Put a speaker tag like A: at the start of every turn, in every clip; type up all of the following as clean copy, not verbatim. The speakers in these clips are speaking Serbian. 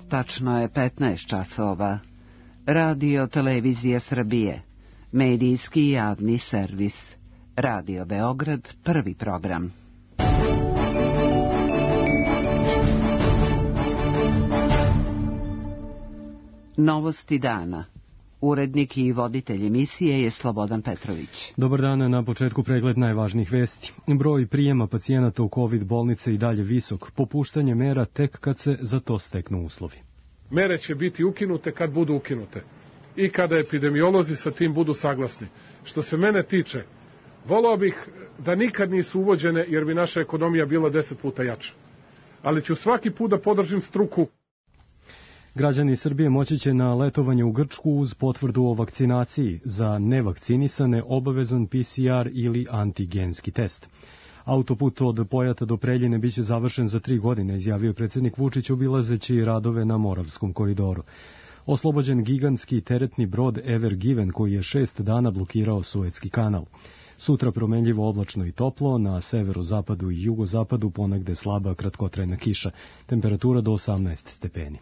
A: Tačno je 15 časova. Radio Televizija Srbije. Medijski javni servis. Radio Beograd, prvi program. Novosti dana. Urednik i voditelj emisije je Slobodan Petrović.
B: Dobar dan, na početku pregled najvažnijih vesti. Broj prijema pacijenata u COVID bolnice i dalje visok. Popuštanje mera tek kad se za to steknu uslovi.
C: Mere će biti ukinute kad budu ukinute. I kada epidemiolozi sa tim budu saglasni. Što se mene tiče, volao bih da nikad nisu uvođene jer bi naša ekonomija bila 10 puta jača. Ali ću svaki put da podržim struku.
B: Građani Srbije moći će na letovanje u Grčku uz potvrdu o vakcinaciji, za nevakcinisane obavezan PCR ili antigenski test. Autoput od Pojata do Preljine biće završen za 3 godine, izjavio predsjednik Vučić obilazeći radove na Moravskom koridoru. Oslobođen gigantski teretni brod Ever Given koji je 6 dana blokirao Suetski kanal. Sutra promenljivo oblačno i toplo, na severozapadu i jugozapadu ponegde slaba kratkotrajna kiša, temperatura do 18 stepeni.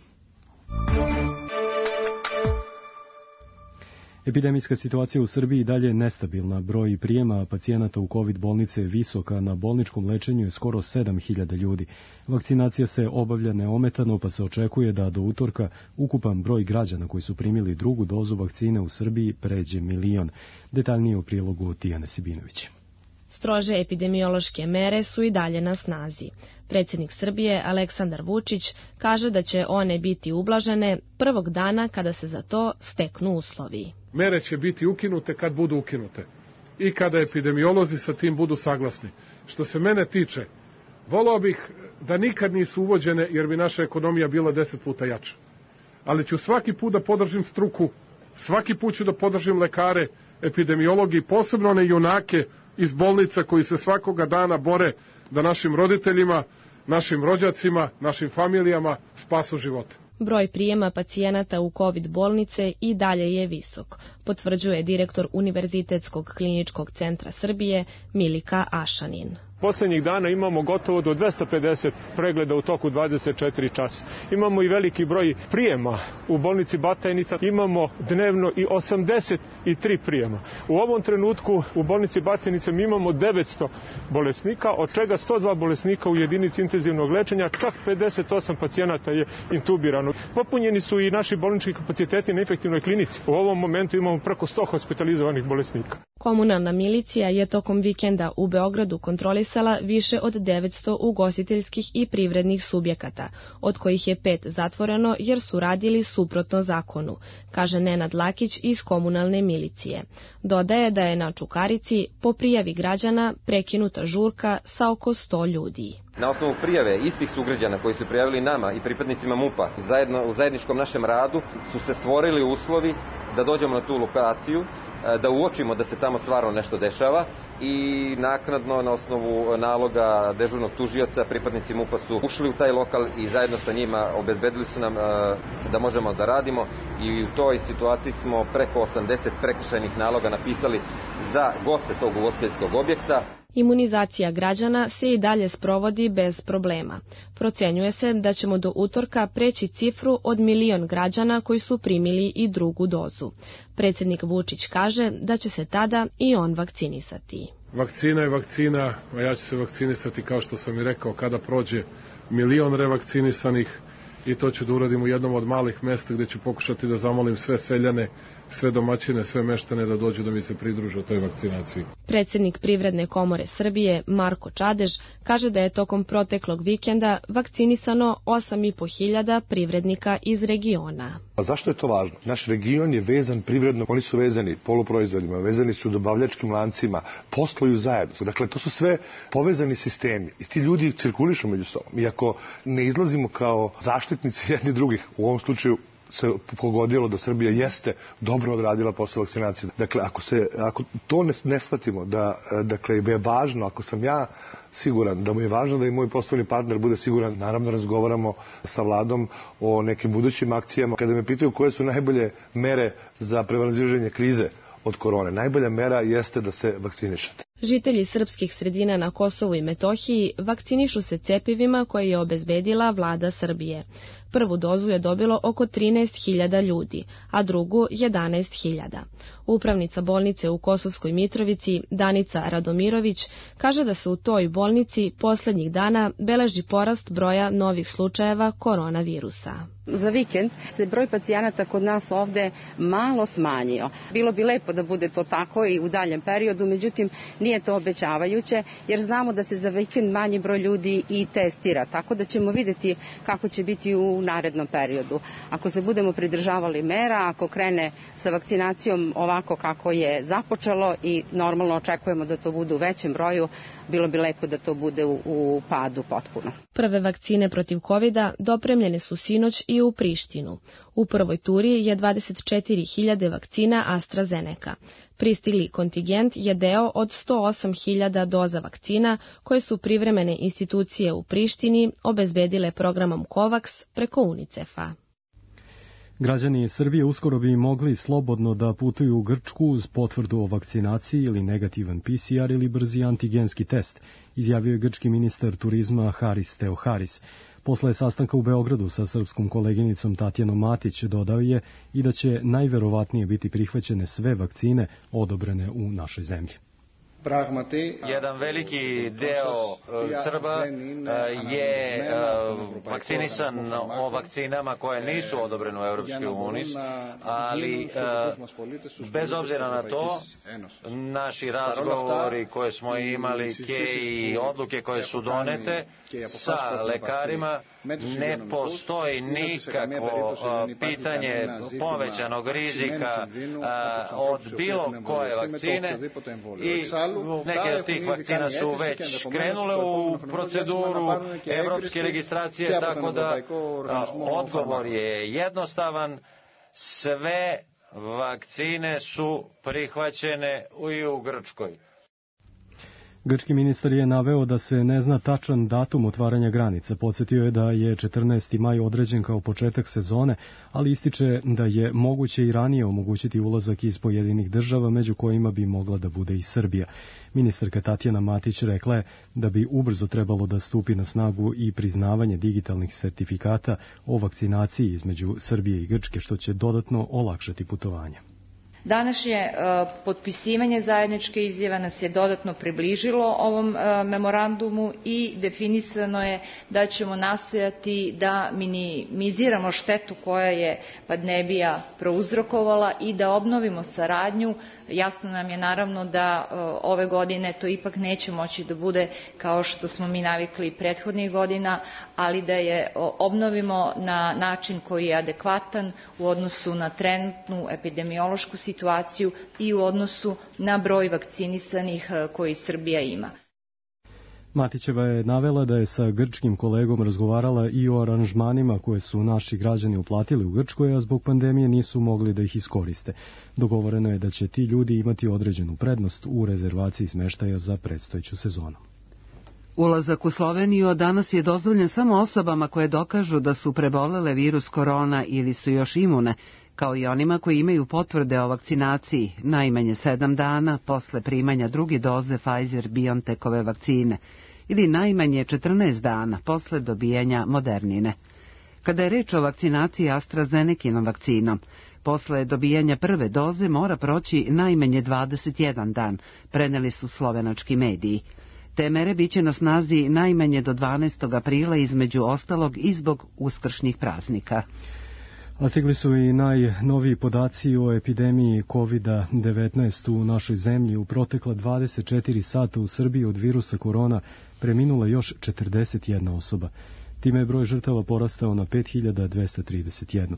B: Epidemijska situacija u Srbiji i dalje je nestabilna. Broj prijema pacijenata u COVID bolnice je visoka, na bolničkom lečenju je skoro 7.000 ljudi. Vakcinacija se obavlja neometano, pa se očekuje da do utorka ukupan broj građana koji su primili drugu dozu vakcine u Srbiji pređe 1 milion. Detaljnije u prilogu Tijane Sibinović.
D: Strože epidemiološke mere su i dalje na snazi. Predsjednik Srbije Aleksandar Vučić kaže da će one biti ublažene prvog dana kada se za to steknu uslovi.
C: Mere će biti ukinute kad budu ukinute. I kada epidemiolozi sa tim budu saglasni. Što se mene tiče, volao bih da nikad nisu uvođene jer bi naša ekonomija bila 10 puta jača. Ali ću svaki put da podržim struku, svaki put ću da podržim lekare, epidemiologi, posebno one junake iz bolnica koji se svakoga dana bore da našim roditeljima, našim rođacima, našim familijama spasu živote.
D: Broj prijema pacijenata u COVID bolnice i dalje je visok, potvrđuje direktor Univerzitetskog kliničkog centra Srbije Milika Ašanin.
E: Poslednjih dana imamo gotovo do 250 pregleda u toku 24 časa. Imamo i veliki broj prijema u bolnici Batajnica. Imamo dnevno i 83 prijema. U ovom trenutku u bolnici Batajnica mi imamo 900 bolesnika, od čega 102 bolesnika u jedinici intenzivnog lečenja, čak 58 pacijenata je intubirano. Popunjeni su i naši bolnički kapaciteti na infektivnoj klinici. U ovom momentu imamo preko 100 hospitalizovanih bolesnika.
D: Komunalna milicija je tokom vikenda u Beogradu kontrolisala više od 900 ugostiteljskih i privrednih subjekata, od kojih je 5 zatvoreno jer su radili suprotno zakonu, kaže Nenad Lakić iz komunalne milicije. Dodaje da je na Čukarici po prijavi građana prekinuta žurka sa oko 100 ljudi.
F: Na osnovu prijave istih sugrađana koji su prijavili nama i pripadnicima MUP-a u zajedničkom našem radu su se stvorili uslovi da dođemo na tu lokaciju, da uočimo da se tamo stvarno nešto dešava i naknadno na osnovu naloga dežurnog tužioca pripadnici MUP-a su ušli u taj lokal i zajedno sa njima obezbedili su nam da možemo da radimo i u toj situaciji smo preko 80 prekršajnih naloga napisali za goste tog ugostiteljskog objekta.
D: Imunizacija građana se i dalje sprovodi bez problema. Procenjuje se da ćemo do utorka preći cifru od 1 milion građana koji su primili i drugu dozu. Predsjednik Vučić kaže da će se tada i on vakcinisati.
C: Vakcina je vakcina, a ja ću se vakcinisati kao što sam i rekao kada prođe 1 milion revakcinisanih i to ću da uradim u jednom od malih mesta gdje ću pokušati da zamolim sve seljane, sve domaćine, sve meštane da dođu da mi se pridruže u toj vakcinaciji.
D: Predsjednik Privredne komore Srbije Marko Čadež kaže da je tokom proteklog vikenda vakcinisano 8.500 privrednika iz regiona.
G: A zašto je to važno? Naš region je vezan privredno, oni su vezani poluproizvodima, vezani su dobavljačkim lancima, posluju zajedno. Dakle, to su sve povezani sistemi i ti ljudi cirkulišu među sobom. Iako ne izlazimo kao zaštitnici jedni drugih, u ovom slučaju se pogodilo da Srbija jeste dobro odradila posao vakcinacije. Dakle, ako to ne shvatimo, da je važno, ako sam ja siguran da mu je važno da i moj poslovni partner bude siguran, naravno razgovaramo sa vladom o nekim budućim akcijama. Kada me pitaju koje su najbolje mere za prevazilaženje krize od korone, najbolja mera jeste da se vakcinišete.
D: Žitelji srpskih sredina na Kosovu i Metohiji vakcinišu se cepivima koje je obezbedila vlada Srbije. Prvu dozu je dobilo oko 13.000 ljudi, a drugu 11.000. Upravnica bolnice u Kosovskoj Mitrovici, Danica Radomirović, kaže da se u toj bolnici poslednjih dana beleži porast broja novih slučajeva koronavirusa.
H: Za vikend se broj pacijenata kod nas ovde malo smanjio. Bilo bi lepo da bude to tako i u daljem periodu, međutim nije to obećavajuće, jer znamo da se za vikend manji broj ljudi i testira, tako da ćemo videti kako će biti u narednom periodu. Ako se budemo pridržavali mera, ako krene sa vakcinacijom ovako kako je započelo i normalno očekujemo da to bude u većem broju, bilo bi lepo da to bude u padu potpuno.
D: Prve vakcine protiv covida dopremljene su sinoć i u Prištinu. U prvoj turi je 24.000 vakcina AstraZeneca. Pristigli kontingent je deo od 108.000 doza vakcina koje su privremene institucije u Prištini obezbedile programom COVAX preko UNICEF-a.
B: Građani Srbije uskoro bi mogli slobodno da putuju u Grčku uz potvrdu o vakcinaciji ili negativan PCR ili brzi antigenski test, izjavio je grčki ministar turizma Haris Theoharis. Posle sastanka u Beogradu sa srpskom koleginicom Tatjanom Matić dodao je i da će najverovatnije biti prihvaćene sve vakcine odobrene u našoj zemlji.
I: Jedan veliki deo Srba je vakcinisan o vakcinama koje nisu odobrene u Europskoj uniji, ali bez obzira na to, naši razgovori koje smo imali i odluke koje su donete sa lekarima, ne postoji nikakvo pitanje povećanog rizika od bilo koje vakcine i neke od tih vakcina su već krenule u proceduru evropske registracije, tako da odgovor je jednostavan, sve vakcine su prihvaćene i u Grčkoj.
B: Grčki ministar je naveo da se ne zna tačan datum otvaranja granica. Podsjetio je da je 14. maj određen kao početak sezone, ali ističe da je moguće i ranije omogućiti ulazak iz pojedinih država, među kojima bi mogla da bude i Srbija. Ministarka Tatjana Matić rekla je da bi ubrzo trebalo da stupi na snagu i priznavanje digitalnih sertifikata o vakcinaciji između Srbije i Grčke, što će dodatno olakšati putovanje.
J: Današnje potpisivanje zajedničke izjave nas je dodatno približilo ovom memorandumu i definisano je da ćemo nastojati da minimiziramo štetu koja je pandemija prouzrokovala i da obnovimo saradnju. Jasno nam je naravno da ove godine to ipak neće moći da bude kao što smo mi navikli prethodnih godina, ali da je obnovimo na način koji je adekvatan u odnosu na trenutnu epidemiološku situaciju i u odnosu na broj vakcinisanih koji Srbija ima.
B: Matićeva je navela da je sa grčkim kolegom razgovarala i o aranžmanima koje su naši građani uplatili u Grčkoj, a zbog pandemije nisu mogli da ih iskoriste. Dogovoreno je da će ti ljudi imati određenu prednost u rezervaciji smeštaja za predstojeću sezonu.
A: Ulazak u Sloveniju od danas je dozvoljen samo osobama koje dokažu da su prebolele virus korona ili su još imune, kao i onima koji imaju potvrde o vakcinaciji najmanje 7 dana posle primanja druge doze Pfizer-BioNTechove vakcine ili najmanje 14 dana posle dobijanja Modernine. Kada je reč o vakcinaciji AstraZenekinom vakcinom, posle dobijanja prve doze mora proći najmanje 21 dan, preneli su slovenački mediji. Te mere biće na snazi najmanje do 12. aprila, između ostalog i zbog uskršnjih praznika.
B: A stigli su i najnoviji podaci o epidemiji COVID-19 u našoj zemlji. U protekla 24 sata u Srbiji od virusa korona preminula još 41 osoba. Time je broj žrtava porastao na 5231.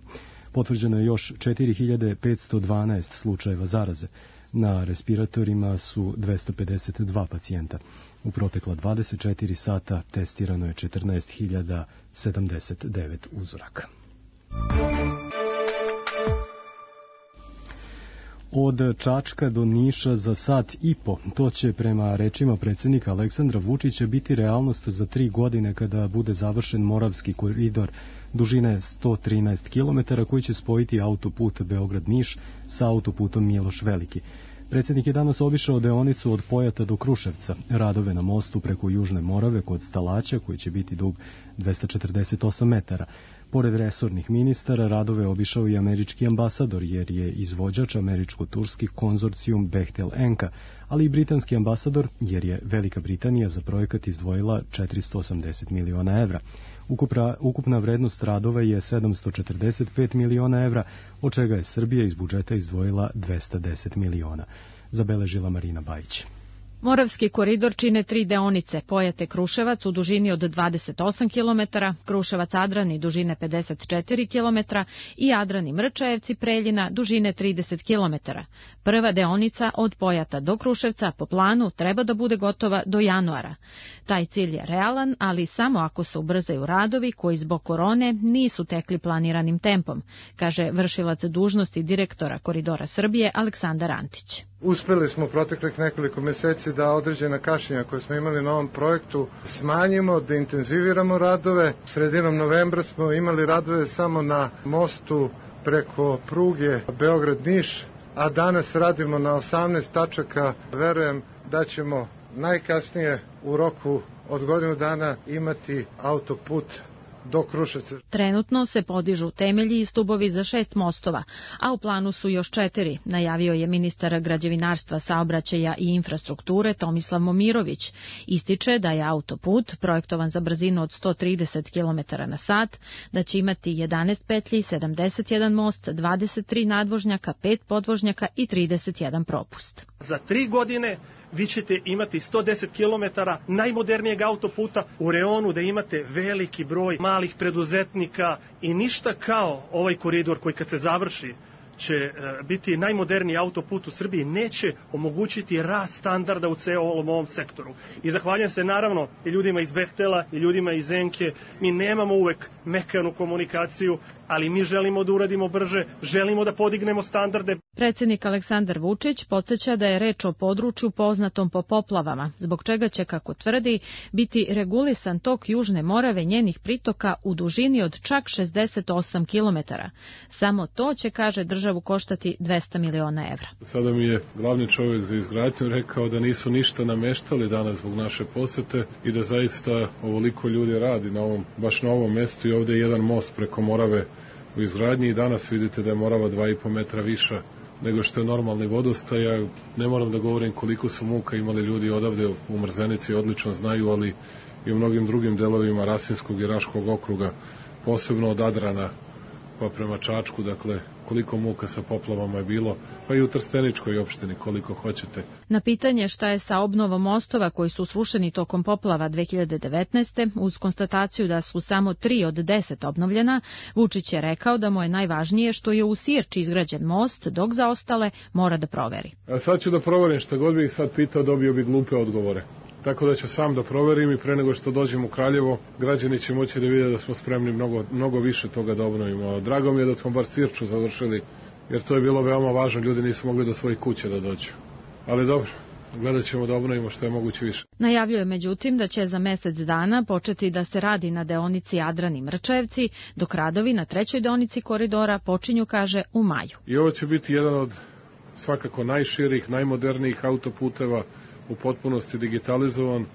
B: Potvrđeno je još 4512 slučajeva zaraze. Na respiratorima su 252 pacijenta. U protekla 24 sata testirano je 14.079 uzoraka. Od Čačka do Niša za sat i po. To će prema rečima predsjednika Aleksandra Vučića biti realnost za 3 godine kada bude završen Moravski koridor dužine 113 km koji će spojiti autoput Beograd-Niš sa autoputom Miloš Veliki. Predsjednik je danas obišao deonicu od Pojata do Kruševca, radove na mostu preko Južne Morave kod Stalaća koji će biti dug 248 metara. Pored resornih ministara, radove obišao i američki ambasador, jer je izvođač američko-turski konzorcijum Bechtel Enka, ali i britanski ambasador, jer je Velika Britanija za projekat izdvojila 480 miliona evra. Ukupna vrednost radova je 745 miliona evra, od čega je Srbija iz budžeta izdvojila 210 miliona, zabeležila Marina Bajić.
K: Moravski koridor čine 3 deonice, Pojate-Kruševac u dužini od 28 km, Kruševac-Adrani dužine 54 km i Adrani-Mrčajevci-Preljina dužine 30 km. Prva deonica od Pojata do Kruševca po planu treba da bude gotova do januara. Taj cilj je realan, ali samo ako se ubrzaju radovi koji zbog korone nisu tekli planiranim tempom, kaže vršilac dužnosti direktora Koridora Srbije Aleksandar Antić.
L: Uspeli smo proteklih nekoliko meseci da određena kašnjenja koje smo imali na ovom projektu smanjimo, da intenziviramo radove. Sredinom novembra smo imali radove samo na mostu preko pruge Beograd-Niš, a danas radimo na 18 tačaka. Verujem da ćemo najkasnije u roku od godinu dana imati autoput do Kruševca.
K: Trenutno se podižu temelji i stubovi za 6 mostova, a u planu su još 4, najavio je ministar građevinarstva, saobraćaja i infrastrukture Tomislav Momirović. Ističe da je autoput projektovan za brzinu od 130 km na sat, da će imati 11 petlji, 71 most, 23 nadvožnjaka, 5 podvožnjaka i 31 propust.
M: Za 3 godine vi ćete imati 110 km najmodernijeg autoputa u reonu, da imate veliki broj malih preduzetnika i ništa kao ovaj koridor koji kad se završi će biti najmoderniji autoput u Srbiji, neće omogućiti rast standarda u celom ovom sektoru. I zahvaljujem se naravno i ljudima iz Bechtela i ljudima iz Enke. Mi nemamo uvek mekanu komunikaciju, ali mi želimo da uradimo brže, želimo da podignemo standarde.
K: Predsjednik Aleksandar Vučić podsjeća da je reč o području poznatom po poplavama, zbog čega će, kako tvrdi, biti regulisan tok Južne Morave njenih pritoka u dužini od čak 68 km. Samo to će, kaže, državu koštati 200 miliona evra.
C: Sada mi je glavni čovjek za izgradnju rekao da nisu ništa nameštali danas zbog naše posete i da zaista ovoliko ljudi radi baš na ovom mestu i ovdje je jedan most preko Morave u izgradnji i danas vidite da je Morava 2,5 metra viša nego što je normalni vodostaj. Ja ne moram da govorim koliko su muka imali ljudi odavde u Mrzenici, odlično znaju, ali i u mnogim drugim delovima Rasinskog i Raškog okruga, posebno od Adrana pa prema Čačku, dakle koliko muka sa poplavama je bilo, pa i u Trsteničkoj opštini koliko hoćete.
K: Na pitanje šta je sa obnovom mostova koji su srušeni tokom poplava 2019. uz konstataciju da su samo 3 od 10 obnovljena, Vučić je rekao da mu je najvažnije što je u Sirči izgrađen most, dok za ostale mora da proveri.
C: A sad ću da proverim, šta god bih sad pitao, dobio bi glupe odgovore. Tako da ću sam da proverim i pre nego što dođem u Kraljevo, građani će moći da vide da smo spremni mnogo više toga da obnovimo. Drago mi je da smo bar Sirču završili, jer to je bilo veoma važno, ljudi nisu mogli do svojih kuće da dođu. Ali dobro, gledat ćemo da obnovimo što je moguće više.
K: Najavljuje međutim da će za mesec dana početi da se radi na deonici Adrani-Mrčajevci, dok radovi na 3. deonici koridora počinju, kaže, u maju.
C: I ovo će biti jedan od svakako najširih, najmodernijih autoputeva, u potpunosti digitalizovan,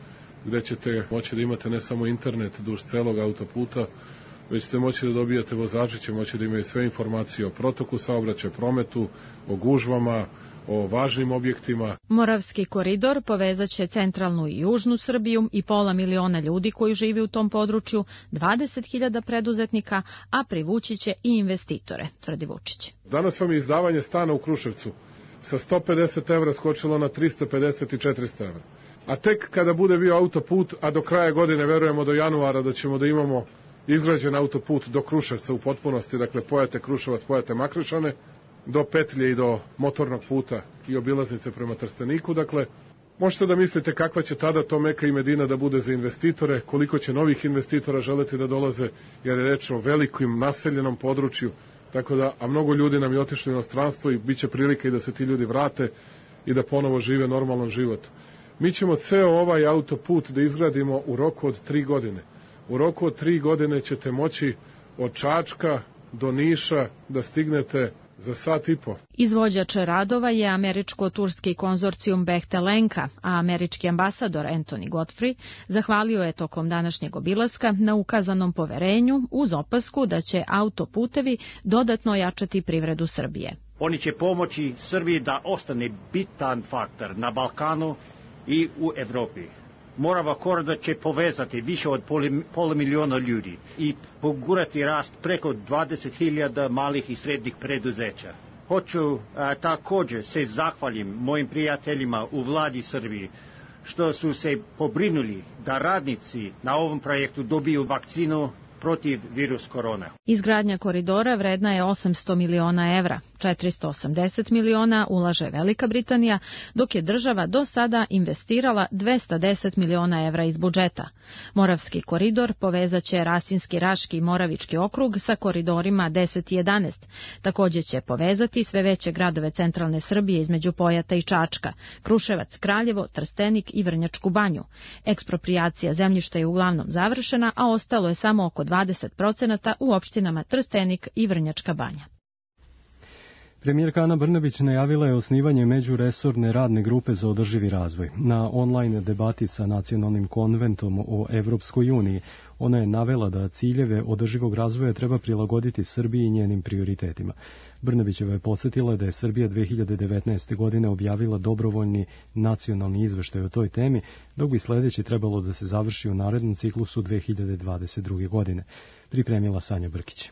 C: gde ćete moći da imate ne samo internet duž celog autoputa, već ćete moći da dobijate, vozači će moći da imaju sve informacije o protoku saobraćaja, prometu, o gužvama, o važnim objektima.
K: Moravski koridor povezaće centralnu i južnu Srbiju i 500 miliona ljudi koji žive u tom području, 20.000 preduzetnika, a privući će i investitore, tvrdi Vučić.
C: Danas vam je izdavanje stana u Kruševcu sa 150 evra skočilo na 350 i 400 evra. A tek kada bude bio autoput, a do kraja godine verujemo do januara da ćemo da imamo izgrađen autoput do Kruševca u potpunosti, dakle Pojate-Kruševac, Pojate-Makričane, do petlje i do motornog puta i obilaznice prema Trsteniku, dakle možete da mislite kakva će tada to Meka i Medina da bude za investitore, koliko će novih investitora želeti da dolaze, jer je reč o velikom naseljenom području. Tako da, a mnogo ljudi nam je otišlo u inostranstvo i bit će prilike i da se ti ljudi vrate i da ponovo žive normalan život. Mi ćemo ceo ovaj autoput da izgradimo u roku od 3 godine. U roku od 3 godine ćete moći od Čačka do Niša da stignete za sat i po.
K: Izvođač radova je američko-turski konzorcijum Behtelenka, a američki ambasador Anthony Godfrey zahvalio je tokom današnjeg obilaska na ukazanom poverenju uz opasku da će autoputevi dodatno jačati privredu Srbije.
N: Oni će pomoći Srbiji da ostane bitan faktor na Balkanu i u Evropi. Morava koridor će povezati više od pola miliona ljudi i pogurati rast preko 20.000 malih i srednjih preduzeća. Hoću također se zahvalim mojim prijateljima u vladi Srbije što su se pobrinuli da radnici na ovom projektu dobiju vakcinu protiv virus korona.
K: Izgradnja koridora vredna je 800 miliona evra, 480 miliona ulaže Velika Britanija, dok je država do sada investirala 210 miliona evra iz budžeta. Moravski koridor povezaće Rasinski, Raški i Moravički okrug sa koridorima 10 i 11. Također će povezati sve veće gradove centralne Srbije između Pojata i Čačka, Kruševac, Kraljevo, Trstenik i Vrnjačku Banju. Eksproprijacija zemljišta je uglavnom završena, a ostalo je samo oko 20% u opštinama Trstenik i Vrnjačka Banja.
B: Premijerka Ana Brnabić najavila je osnivanje međuresorne radne grupe za održivi razvoj. Na online debati sa Nacionalnim konventom o Evropskoj uniji ona je navela da ciljeve održivog razvoja treba prilagoditi Srbiji i njenim prioritetima. Brnabićeva je podsjetila da je Srbija 2019. godine objavila dobrovoljni nacionalni izveštaj o toj temi, dok bi sljedeći trebalo da se završi u narednom ciklusu 2022. godine. Pripremila Sanja Brkić.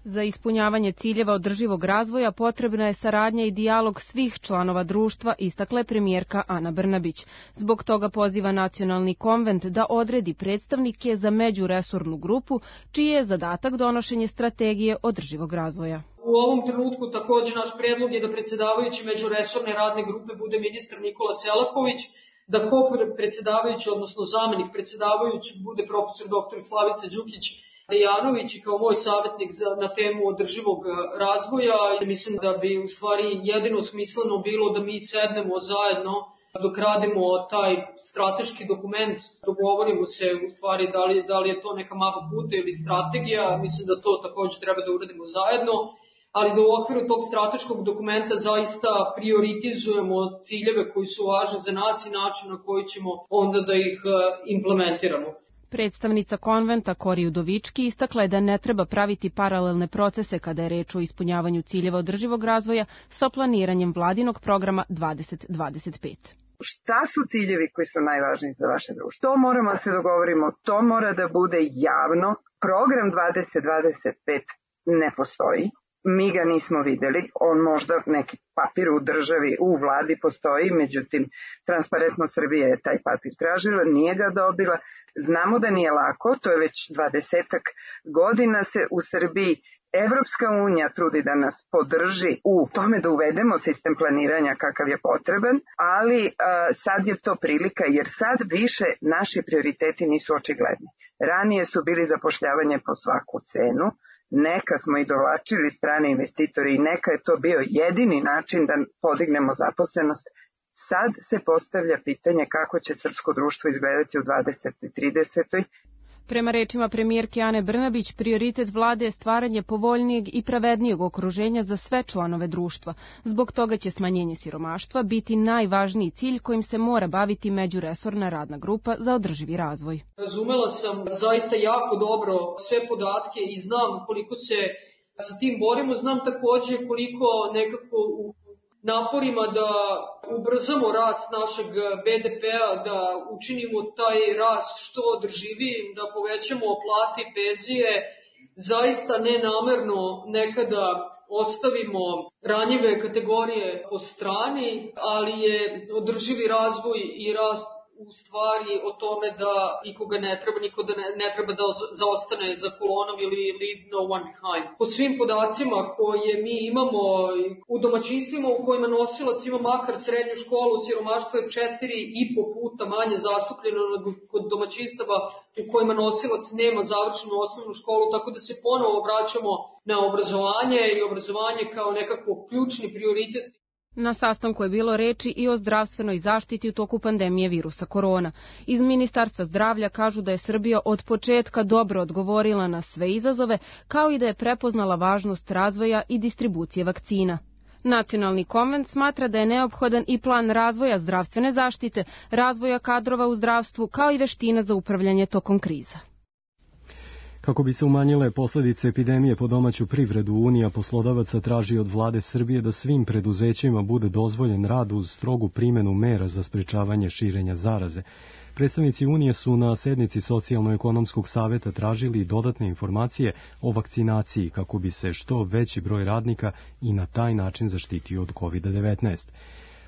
O: Za ispunjavanje ciljeva održivog razvoja potrebna je saradnja i dijalog svih članova društva, istakla je premijerka Ana Brnabić. Zbog toga poziva Nacionalni konvent da odredi predstavnike za međuresornu grupu, čiji je zadatak donošenje strategije održivog razvoja.
P: U ovom trenutku također naš predlog je da predsjedavajući međuresorne radne grupe bude ministar Nikola Selaković, da ko-predsjedavajući, odnosno zamenik predsjedavajući, bude profesor dr. Slavica Đukić Dejanović i kao moj savjetnik na temu održivog razvoja. Mislim da bi u stvari jedino smisleno bilo da mi sednemo zajedno dok radimo taj strateški dokument, dogovorimo se u stvari da li je to neka mapa puta ili strategija. Mislim da to također treba da uradimo zajedno, ali da u okviru tog strateškog dokumenta zaista prioritizujemo ciljeve koji su važni za nas i način na koji ćemo onda da ih implementiramo.
O: Predstavnica konventa Kori Udovički istakla je da ne treba praviti paralelne procese kada je reč o ispunjavanju ciljeva održivog razvoja sa planiranjem vladinog programa 2025.
Q: Šta su ciljevi koji su najvažniji za vaše društvo? To moramo da se dogovorimo, to mora da bude javno. Program 2025 ne postoji. Mi ga nismo videli, on možda neki papir u državi, u vladi postoji, međutim Transparentno Srbije je taj papir tražila, nije ga dobila. Znamo da nije lako, to je već 20-ak godina se u Srbiji Evropska unija trudi da nas podrži u tome da uvedemo sistem planiranja kakav je potreban, ali sad je to prilika jer sad više naši prioriteti nisu očigledni. Ranije su bili zapošljavanje po svaku cenu, neka smo i dovlačili strane investitori i neka je to bio jedini način da podignemo zaposlenost. Sad se postavlja pitanje kako će srpsko društvo izgledati u 20. i 30.
O: Prema rečima premijerke Ane Brnabić, prioritet vlade je stvaranje povoljnijeg i pravednijeg okruženja za sve članove društva. Zbog toga će smanjenje siromaštva biti najvažniji cilj kojim se mora baviti međuresorna radna grupa za održivi razvoj.
P: Razumela sam zaista jako dobro sve podatke i znam koliko se sa tim borimo. Znam također koliko nekako u naporima da ubrzamo rast našeg BDP-a, da učinimo taj rast što održivijim, da povećamo plate i penzije, zaista nenamerno nekada ostavimo ranjive kategorije po strani, ali je održivi razvoj i rast u stvari o tome da nikoga ne treba, niko da ne treba da zaostane za kolonom ili leave no one behind. Po svim podacima koje mi imamo u domaćinstvima u kojima nosilac ima makar srednju školu, siromaštvo je 4,5 puta manje zastupljeno nego kod domaćinstava u kojima nosilac nema završenu osnovnu školu, tako da se ponovo vraćamo na obrazovanje i obrazovanje kao nekako ključni prioritet.
O: Na sastanku je bilo reči i o zdravstvenoj zaštiti u toku pandemije virusa korona. Iz Ministarstva zdravlja kažu da je Srbija od početka dobro odgovorila na sve izazove, kao i da je prepoznala važnost razvoja i distribucije vakcina. Nacionalni konvent smatra da je neophodan i plan razvoja zdravstvene zaštite, razvoja kadrova u zdravstvu, kao i veština za upravljanje tokom kriza.
B: Kako bi se umanjile posledice epidemije po domaću privredu, Unija poslodavaca traži od vlade Srbije da svim preduzećima bude dozvoljen rad uz strogu primjenu mera za sprečavanje širenja zaraze. Predstavnici Unije su na sednici Socijalno-ekonomskog saveta tražili dodatne informacije o vakcinaciji kako bi se što veći broj radnika i na taj način zaštitio od COVID-19.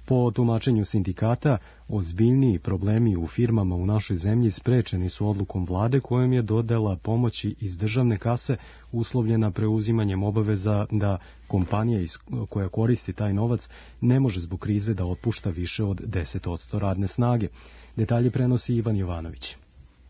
B: Po tumačenju sindikata, ozbiljniji problemi u firmama u našoj zemlji sprečeni su odlukom vlade kojom je dodela pomoći iz državne kase uslovljena preuzimanjem obaveza da kompanija koja koristi taj novac ne može zbog krize da otpušta više od 10% radne snage. Detalje prenosi Ivan Jovanović.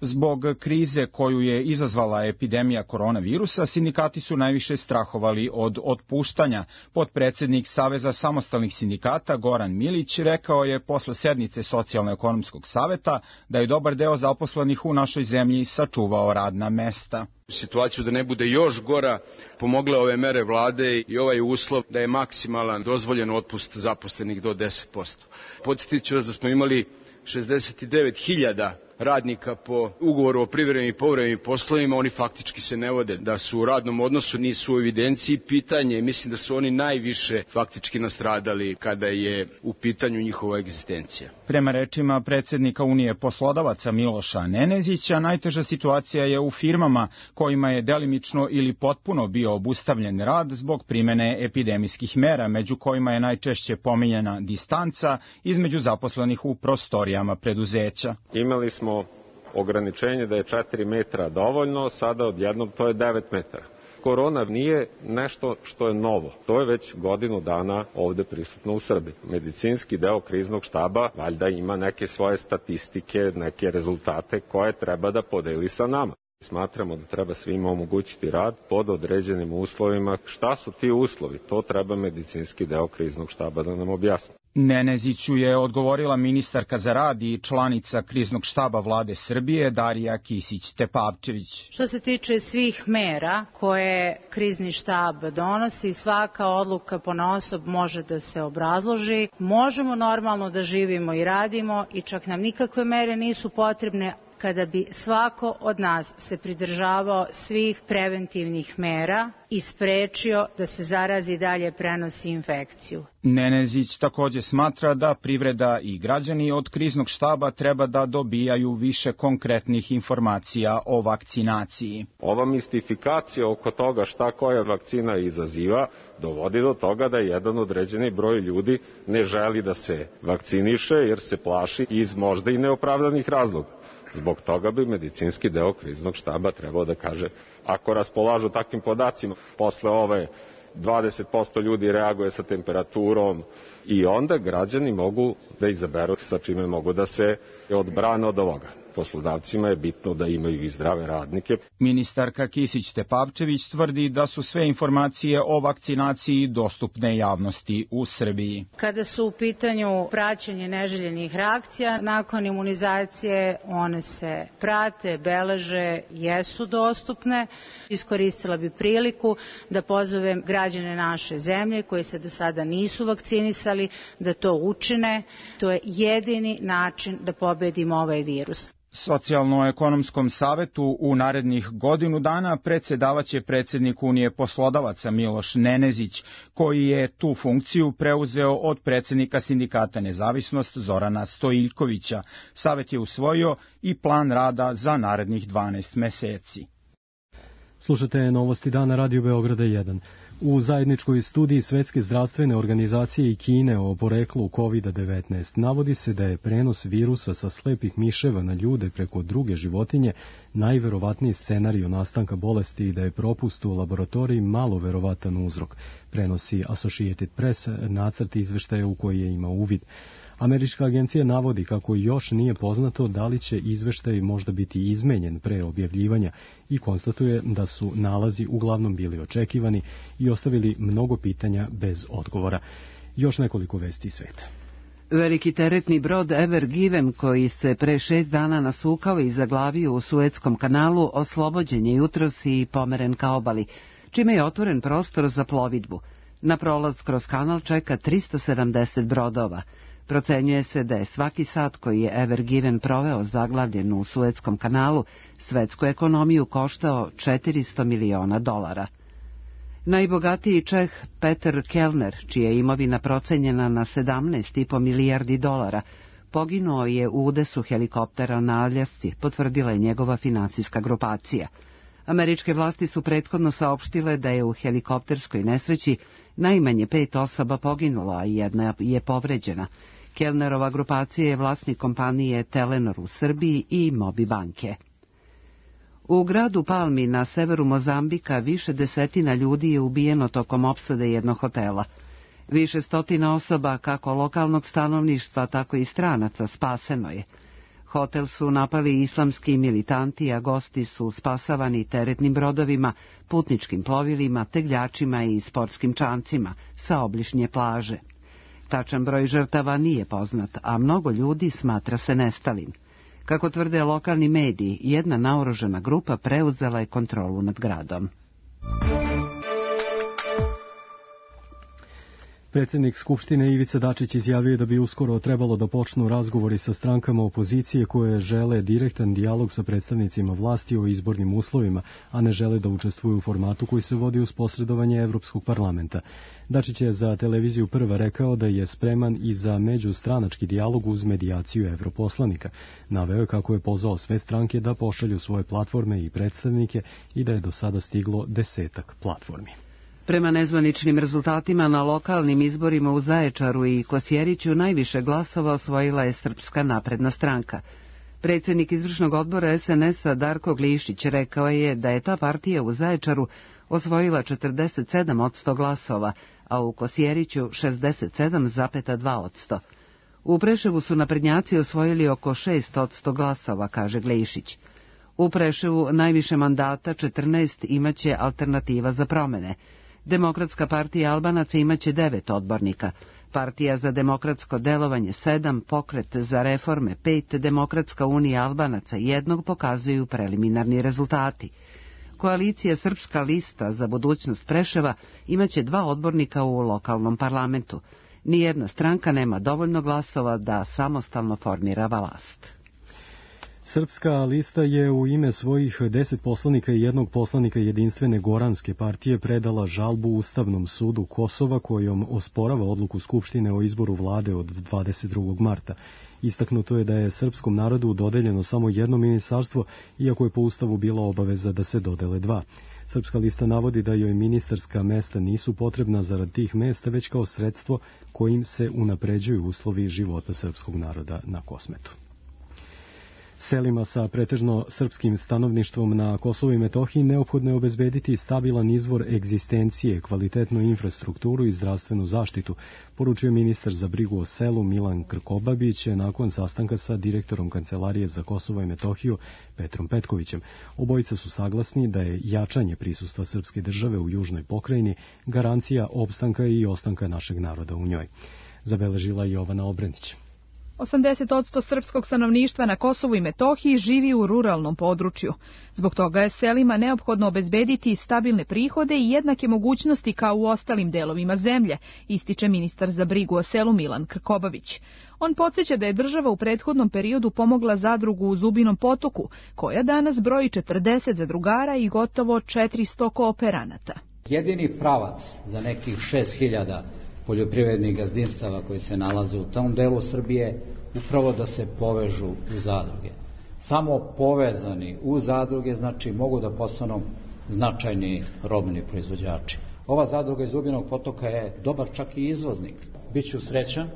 R: Zbog krize koju je izazvala epidemija koronavirusa, sindikati su najviše strahovali od otpuštanja. Potpredsednik Saveza samostalnih sindikata Goran Milić rekao je posle sednice Socijalno-ekonomskog saveta da je dobar deo zaposlenih u našoj zemlji sačuvao radna mesta.
S: Situaciju da ne bude još gora pomogle ove mere vlade i ovaj uslov da je maksimalan dozvoljen otpust zaposlenih do 10%. Podsjetit ću vas da smo imali 69.000 radnika po ugovoru o privremenim i povremenim poslovima, oni faktički se ne vode, da su u radnom odnosu, nisu u evidenciji. Pitanje, mislim da su oni najviše faktički nastradali kada je u pitanju njihova egzistencija.
R: Prema rečima predsednika Unije poslodavaca Miloša Nenezića, najteža situacija je u firmama kojima je delimično ili potpuno bio obustavljen rad zbog primene epidemijskih mera, među kojima je najčešće pominjena distanca između zaposlenih u prostorijama preduzeća.
T: Imali smo ograničenje da je 4 metra dovoljno, sada odjednom to je 9 metara. Korona nije nešto što je novo. To je već godinu dana ovde prisutno u Srbiji. Medicinski deo kriznog štaba valjda ima neke svoje statistike, neke rezultate koje treba da podeli sa nama. Smatramo da treba svima omogućiti rad pod određenim uslovima. Šta su ti uslovi? To treba medicinski deo kriznog štaba da nam objasni.
R: Neneziću je odgovorila ministarka za rad i članica kriznog štaba vlade Srbije Darija Kisić-Tepavčević.
U: Što se tiče svih mera koje krizni štab donosi, svaka odluka ponaosob može da se obrazloži. Možemo normalno da živimo i radimo i čak nam nikakve mere nisu potrebne kada bi svako od nas se pridržavao svih preventivnih mera i sprečio da se zarazi i dalje prenosi infekciju.
R: Nenezić takođe smatra da privreda i građani od kriznog štaba treba da dobijaju više konkretnih informacija o vakcinaciji.
T: Ova mistifikacija oko toga šta koja vakcina izaziva dovodi do toga da jedan određeni broj ljudi ne želi da se vakciniše jer se plaši iz možda i neopravdanih razloga. Zbog toga bi medicinski deo kriznog štaba trebao da kaže, ako raspolažu takvim podacima, posle ove 20% ljudi reaguje sa temperaturom i onda građani mogu da izaberu sa čime mogu da se odbrane od ovoga. Poslodavcima je bitno da imaju i zdrave radnike.
R: Ministarka Kisić-Tepavčević tvrdi da su sve informacije o vakcinaciji dostupne javnosti u Srbiji.
U: Kada su u pitanju praćenje neželjenih reakcija, nakon imunizacije one se prate, beleže, jesu dostupne. Iskoristila bi priliku da pozovem građane naše zemlje koji se do sada nisu vakcinisali da to učine. To je jedini način da pobedimo ovaj virus.
R: Socijalno-ekonomskom savetu u narednih godinu dana predsedavaće predsednik Unije poslodavaca Miloš Nenezić, koji je tu funkciju preuzeo od predsednika sindikata Nezavisnost Zorana Stojiljkovića. Savet je usvojio i plan rada za narednih 12 meseci.
B: Slušate Novosti dana Radio Beograda 1. U zajedničkoj studiji Svetske zdravstvene organizacije i Kine o poreklu COVID-19 navodi se da je prenos virusa sa slepih miševa na ljude preko druge životinje najverovatniji scenarij nastanka bolesti i da je propust u laboratoriji malo verovatan uzrok, prenosi Associated Press nacrt izveštaja u koji je imao uvid. Američka agencija navodi kako još nije poznato da li će izveštaj možda biti izmenjen pre objavljivanja i konstatuje da su nalazi uglavnom bili očekivani i ostavili mnogo pitanja bez odgovora. Još nekoliko vesti iz sveta.
A: Veliki teretni brod Ever Given, koji se pre 6 dana nasukao i zaglavio u Suetskom kanalu, oslobođen je jutros i pomeren ka obali, čime je otvoren prostor za plovidbu. Na prolaz kroz kanal čeka 370 brodova. Procenjuje se da je svaki sat koji je Ever Given proveo zaglavljen u Suetskom kanalu svetsku ekonomiju koštao $400 miliona. Najbogatiji Čeh Peter Kellner, čija je imovina procenjena na $17,5 milijardi, poginuo je u udesu helikoptera na Aljasci, potvrdila je njegova finansijska grupacija. Američke vlasti su prethodno saopštile da je u helikopterskoj nesreći najmanje 5 osoba poginulo, a 1 je povređena. Kellnerova grupacija je vlasnik kompanije Telenor u Srbiji i Mobi banke. U gradu Palmi na severu Mozambika više desetina ljudi je ubijeno tokom opsade jednog hotela. Više stotina osoba, kako lokalnog stanovništva, tako i stranaca, spaseno je. Hotel su napali islamski militanti, a gosti su spasavani teretnim brodovima, putničkim plovilima, tegljačima i sportskim čamcima sa obližnje plaže. Tačan broj žrtava nije poznat, a mnogo ljudi smatra se nestalim. Kako tvrde lokalni mediji, jedna naoružana grupa preuzela je kontrolu nad gradom.
B: Predsjednik Skupštine Ivica Dačić izjavio da bi uskoro trebalo da počnu razgovori sa strankama opozicije koje žele direktan dijalog sa predstavnicima vlasti o izbornim uslovima, a ne žele da učestvuju u formatu koji se vodi uz posredovanje Evropskog parlamenta. Dačić je za televiziju Prva rekao da je spreman i za međustranački dijalog uz medijaciju evroposlanika. Naveo je kako je pozvao sve stranke da pošalju svoje platforme i predstavnike i da je do sada stiglo 10 platformi.
A: Prema nezvaničnim rezultatima na lokalnim izborima u Zaječaru i Kosjeriću najviše glasova osvojila je Srpska napredna stranka. Predsjednik izvršnog odbora SNS-a Darko Glišić rekao je da je ta partija u Zaječaru osvojila 47% glasova, a u Kosjeriću 67,2%. U Preševu su naprednjaci osvojili oko 6% glasova, kaže Glišić. U Preševu najviše mandata, 14, imaće Alternativa za promene. Demokratska partija Albanaca imaće 9 odbornika, Partija za demokratsko delovanje 7, Pokret za reforme 5, Demokratska unija Albanaca 1 pokazuju preliminarni rezultati. Koalicija Srpska lista za budućnost Preševa imaće 2 odbornika u lokalnom parlamentu. Nijedna stranka nema dovoljno glasova da samostalno formira vlast.
B: Srpska lista je u ime svojih 10 poslanika i 1 poslanika Jedinstvene Goranske partije predala žalbu Ustavnom sudu Kosova kojom osporava odluku Skupštine o izboru vlade od 22. marta. Istaknuto je da je srpskom narodu dodeljeno samo 1 ministarstvo, iako je po Ustavu bila obaveza da se dodele 2. Srpska lista navodi da joj ministarska mesta nisu potrebna zarad tih mesta, već kao sredstvo kojim se unapređuju uslovi života srpskog naroda na Kosmetu. Selima sa pretežno srpskim stanovništvom na Kosovu i Metohiji neophodno je obezbediti stabilan izvor egzistencije, kvalitetnu infrastrukturu i zdravstvenu zaštitu, poručuje ministar za brigu o selu Milan Krkobabić nakon sastanka sa direktorom Kancelarije za Kosovo i Metohiju Petrom Petkovićem. Obojica su saglasni da je jačanje prisustva srpske države u južnoj pokrajini garancija opstanka i ostanka našeg naroda u njoj. Zabeležila Jovana Obrenić.
E: 80% srpskog stanovništva na Kosovu i Metohiji živi u ruralnom području. Zbog toga je selima neophodno obezbediti stabilne prihode i jednake mogućnosti kao u ostalim delovima zemlje, ističe ministar za brigu o selu Milan Krkobabić. On podsjeća da je država u prethodnom periodu pomogla zadrugu u Zubinom potoku, koja danas broji 40 zadrugara i gotovo 400 kooperanata.
V: Jedini pravac za nekih 6000 poljoprivrednih gazdinstava koji se nalaze u tom delu Srbije, upravo da se povežu u zadruge. Samo povezani u zadruge, znači mogu da postanu značajni robni proizvođači. Ova zadruga iz Zubinog potoka je dobar čak i izvoznik. Biću srećan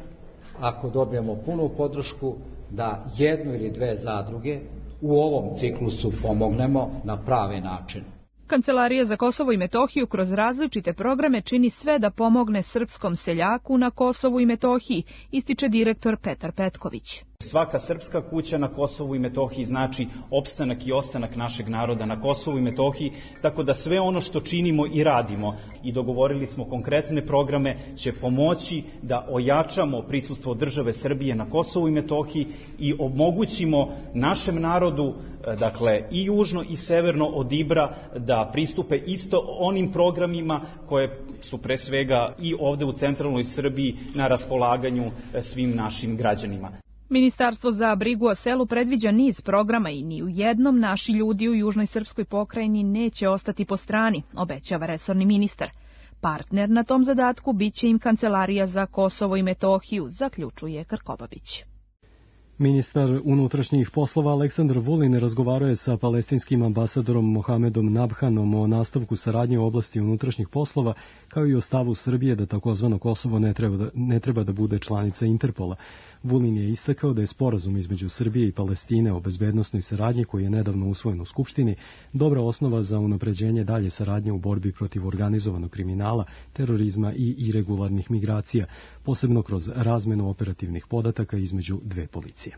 V: ako dobijemo punu podršku da 1 ili 2 zadruge u ovom ciklusu pomognemo na pravi način.
E: Kancelarija za Kosovo i Metohiju kroz različite programe čini sve da pomogne srpskom seljaku na Kosovu i Metohiji, ističe direktor Petar Petković.
F: Svaka srpska kuća na Kosovu i Metohiji znači opstanak i ostanak našeg naroda na Kosovu i Metohiji, tako da sve ono što činimo i radimo i dogovorili smo konkretne programe će pomoći da ojačamo prisustvo države Srbije na Kosovu i Metohiji i omogućimo našem narodu, dakle i južno i severno od Ibra, da pristupe isto onim programima koje su pre svega i ovde u centralnoj Srbiji na raspolaganju svim našim građanima.
E: Ministarstvo za brigu o selu predviđa niz programa i ni u jednom naši ljudi u južnoj srpskoj pokrajini neće ostati po strani, obećava resorni ministar. Partner na tom zadatku biće im Kancelarija za Kosovo i Metohiju, zaključuje Krkobabić.
B: Ministar unutrašnjih poslova Aleksandar Vulin razgovarao je sa palestinskim ambasadorom Mohamedom Nabhanom o nastavku saradnje u oblasti unutrašnjih poslova, kao i o stavu Srbije da takozvano Kosovo ne treba da bude članica Interpola. Vulin je istakao da je sporazum između Srbije i Palestine o bezbednosnoj saradnji, koji je nedavno usvojen u Skupštini, dobra osnova za unapređenje dalje saradnje u borbi protiv organizovanog kriminala, terorizma i iregularnih migracija, posebno kroz razmenu operativnih podataka između dve policije.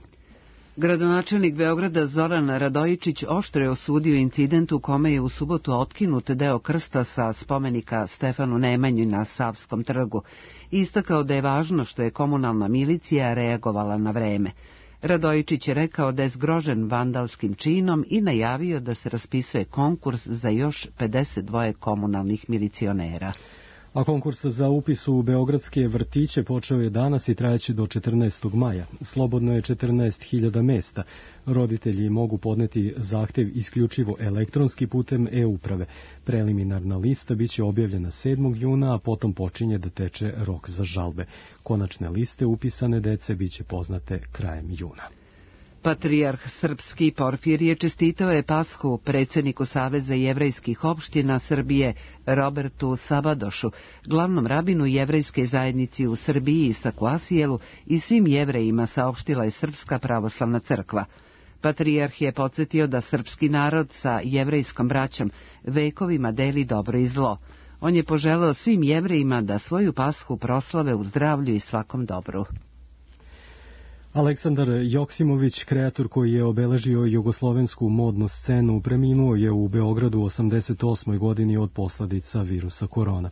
A: Gradonačelnik Beograda Zoran Radojičić oštro je osudio incident u kome je u subotu otkinut deo krsta sa spomenika Stefanu Nemanji na Savskom trgu. Istakao da je važno što je komunalna milicija reagovala na vreme. Radojičić je rekao da je zgrožen vandalskim činom i najavio da se raspisuje konkurs za još 52 komunalnih milicionera.
B: A konkurs za upis u beogradske vrtiće počeo je danas i trajeće do 14. maja. Slobodno je 14.000 mesta. Roditelji mogu podneti zahtev isključivo elektronski putem e-uprave. Preliminarna lista biće objavljena 7. juna, a potom počinje da teče rok za žalbe. Konačne liste upisane dece biće poznate krajem juna.
A: Patrijarh srpski Porfirije čestitao je Pashu predsjedniku Saveza jevrejskih opština Srbije Robertu Sabadošu, glavnom rabinu jevrejske zajednici u Srbiji i Sakuasijelu i svim jevrejima, saopštila je Srpska pravoslavna crkva. Patrijarh je podsjetio da srpski narod sa jevrejskom braćom vekovima deli dobro i zlo. On je poželeo svim jevrejima da svoju Pashu proslave u zdravlju i svakom dobru.
B: Aleksandar Joksimović, kreator koji je obeležio jugoslovensku modnu scenu, preminuo je u Beogradu u 88. godini od posledica virusa korona.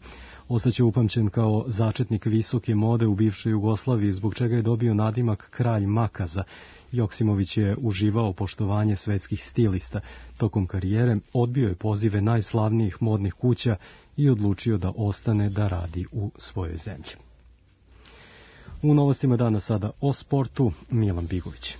B: Ostaće upamćen kao začetnik visoke mode u bivšoj Jugoslaviji, zbog čega je dobio nadimak kralj makaza. Joksimović je uživao poštovanje svetskih stilista. Tokom karijere odbio je pozive najslavnijih modnih kuća i odlučio da ostane da radi u svojoj zemlji. U novostima dana sada o sportu, Milan Bigović.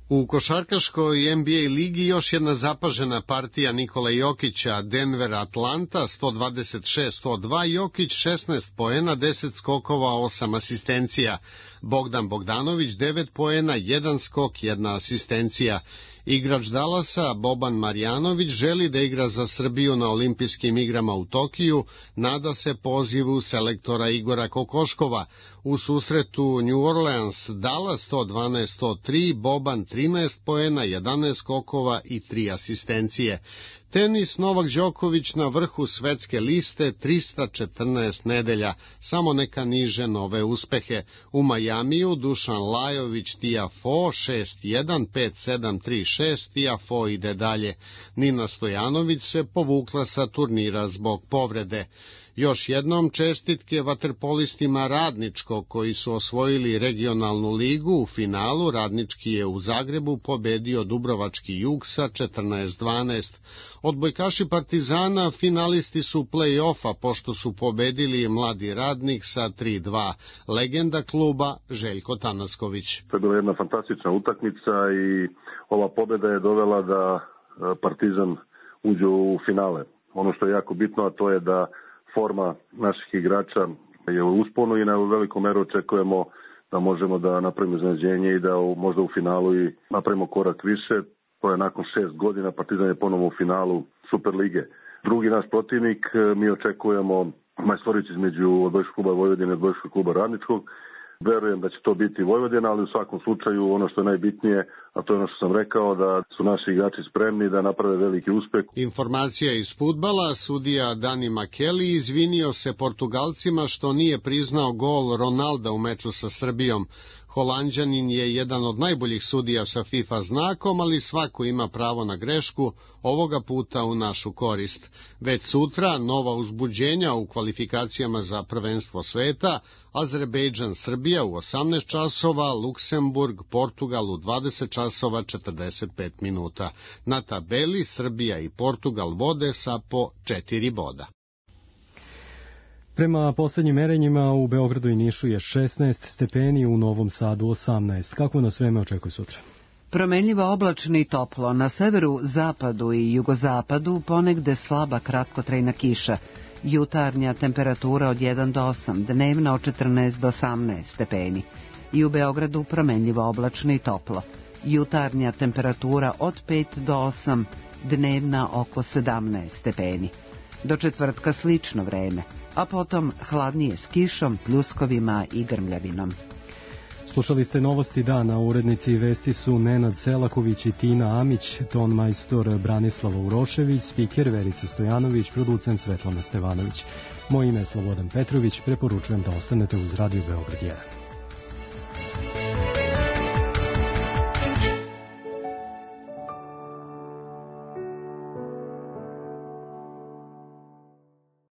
G: U košarkaškoj NBA ligi još jedna zapažena partija Nikola Jokića, Denver Atlanta 126-102, Jokić 16 poena, 10 skokova, 8 asistencija. Bogdan Bogdanović 9 poena, 1 skok, 1 asistencija. Igrač Dallasa Boban Marjanović želi da igra za Srbiju na olimpijskim igrama u Tokiju, nada se pozivu selektora Igora Kokoškova. U susretu New Orleans Dallas 112-103, Boban 13 poena, 11 skokova i 3 asistencije. Tenis, Novak Đoković na vrhu svetske liste 314 nedelja, samo neka niže nove uspehe. U Majamiju Dušan Lajović Tiafoe 6-1, 5-7, 3-6, Tiafoe ide dalje. Nina Stojanović se povukla sa turnira zbog povrede. Još jednom čestitke vaterpolistima Radničkog koji su osvojili regionalnu ligu. U finalu Radnički je u Zagrebu pobedio Dubrovački Jug sa 14-12. Odbojkaši Partizana finalisti su play-offa pošto su pobedili Mladi Radnik sa 3-2. Legenda kluba Željko Tanasković.
W: To je bila jedna fantastična utakmica i ova pobeda je dovela da Partizan uđe u finale. Ono što je jako bitno, a to je da forma naših igrača je u usponu i na velikom meru očekujemo da možemo da napravimo iznenađenje i da možda u finalu i napravimo korak više. To je nakon 6 godina, Partizan je ponovo u finalu Superlige. Drugi naš protivnik, mi očekujemo majstoricu između Odbojkaškog kluba Vojvodine i Odbojkaškog kluba Radničkog. Verujem da će to biti Vojvodina, ali u svakom slučaju ono što je najbitnije, a to je ono što sam rekao, da su naši igrači spremni da naprave veliki uspeh.
G: Informacija iz fudbala, sudija Dani Makeli izvinio se Portugalcima što nije priznao gol Ronalda u meču sa Srbijom. Holanđanin je jedan od najboljih sudija sa FIFA znakom, ali svako ima pravo na grešku, ovoga puta u našu korist. Već sutra nova uzbuđenja u kvalifikacijama za prvenstvo sveta, Azerbejdžan Srbija u 18 časova, Luksemburg Portugal u 20 časova 45 minuta. Na tabeli Srbija i Portugal vode sa po 4 boda.
B: Prema poslednjim merenjima u Beogradu i Nišu je 16 stepeni, u Novom Sadu 18. Kako nas vreme očekuje sutra?
A: Promenljivo oblačno i toplo, na severu, zapadu i jugozapadu ponegde slaba kratkotrajna kiša. Jutarnja temperatura od 1 do 8, dnevna od 14 do 18 stepeni. I u Beogradu promenljivo oblačno i toplo. Jutarnja temperatura od 5 do 8, dnevna oko 17 stepeni. Do četvrtka slično vreme, a potom hladnije s kišom, pljuskovima i grmljavinom.
B: Slušali ste novosti dana, urednici vesti su Nenad Selaković i Tina Amić, ton majstor Branislava Urošević, spiker Verica Stojanović, producent Svetlana Stevanović. Moje ime je Slobodan Petrović, preporučujem da ostanete uz Radio Beograd 1.